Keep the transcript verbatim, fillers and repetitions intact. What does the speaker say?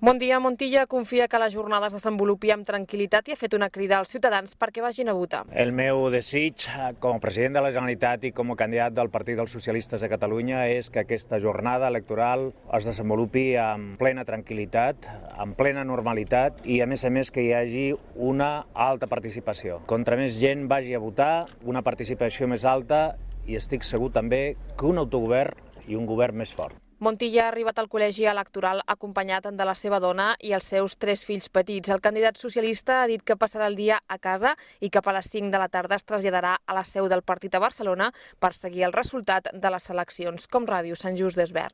Bon dia. Montilla confia que la jornada es desenvolupi amb tranquil·litat i ha fet una crida als ciutadans perquè vagin a votar. El meu desig, com a president de la Generalitat i com a candidat del Partit dels Socialistes de Catalunya, és que aquesta jornada electoral es desenvolupi amb plena tranquil·litat, amb plena normalitat i, a més a més, que hi hagi una alta participació. Contra més gent vagi a votar, una participació més alta i estic segur també que un autogovern i un govern més fort. Montilla ha arribat al col·legi electoral acompanyat de la seva dona i els seus tres fills petits. El candidat socialista ha dit que passarà el dia a casa i cap a les cinc de la tarda es traslladarà a la seu del partit a Barcelona per seguir el resultat de les eleccions, com Ràdio Sant Just d'Esvern.